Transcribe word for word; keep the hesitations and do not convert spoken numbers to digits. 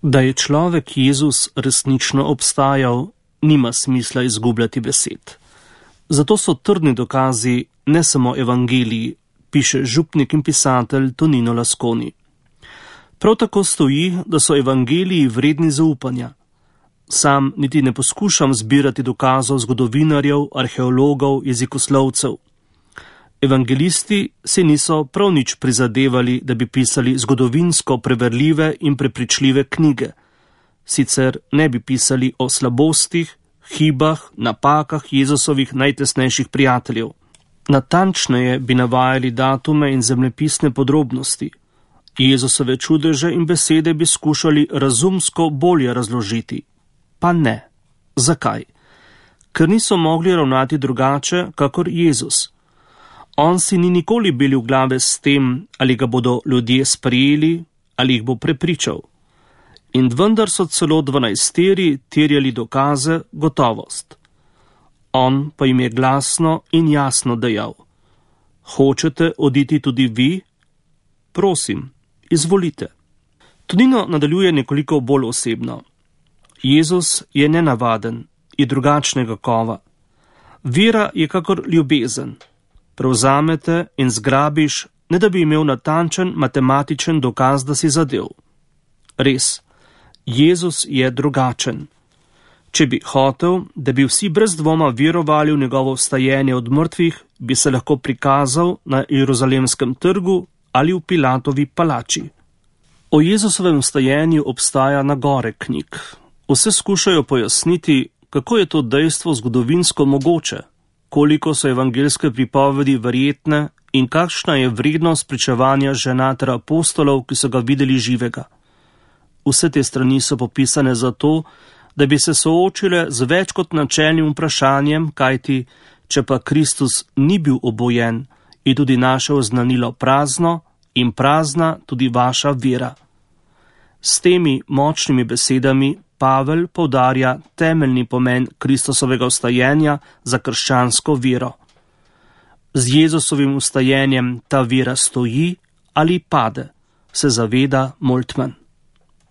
Da je človek Jezus resnično obstajal, nima smisla izgubljati besed. Zato so trdni dokazi ne samo evangeliji, piše župnik in pisatelj Tonino Lasconi. Prav tako stoji, da so evangeliji vredni zaupanja. Sam niti ne poskušam zbirati dokazov zgodovinarjev, arheologov, jezikoslovcev. Evangelisti si niso prav nič prizadevali, da bi pisali zgodovinsko preverljive in prepričljive knjige. Sicer ne bi pisali o slabostih, hibah, napakah Jezusovih najtesnejših prijateljev. Natančneje bi navajali datume in zemljepisne podrobnosti. Jezusove čudeže in besede bi skušali razumsko bolje razložiti. Pa ne. Zakaj? Ker niso mogli ravnati drugače, kakor Jezus. On si ni nikoli bil v glave s tem, ali ga bodo ljudje sprejeli, ali jih bo prepričal. In vendar so celo dvanajsteri terjali dokaze, gotovost. On pa jim je glasno in jasno dejal: Hočete oditi tudi vi? Prosim, izvolite. Tonino nadaljuje nekoliko bolj osebno. Jezus je nenavaden, je drugačnega kova. Vera je kakor ljubezen. Prevzamete in zgrabiš, ne da bi imel natančen matematičen dokaz, da si zadev. Res, Jezus je drugačen. Če bi hotel, da bi vsi brez dvoma verovali v njegovo vstajenje od mrtvih, bi se lahko prikazal na Jeruzalemskem trgu ali v Pilatovi palači. O Jezusovem vstajenju obstaja na gore knjig. Vse skušajo pojasniti, kako je to dejstvo zgodovinsko mogoče, koliko so evangelske pripovedi verjetne in kakšna je vrednost pričevanja žena ter apostolov, ki so ga videli živega. Vse te strani so popisane zato, da bi se soočile z več kot načelnim vprašanjem, kajti, če pa Kristus ni bil obojen, je tudi naše oznanilo prazno in prazna tudi vaša vera. S temi močnimi besedami Pavel poudarja temeljni pomen Kristusovega vstajenja za krščansko vero. Z Jezusovim vstajenjem ta vera stoji ali pade, se zaveda Moltmann.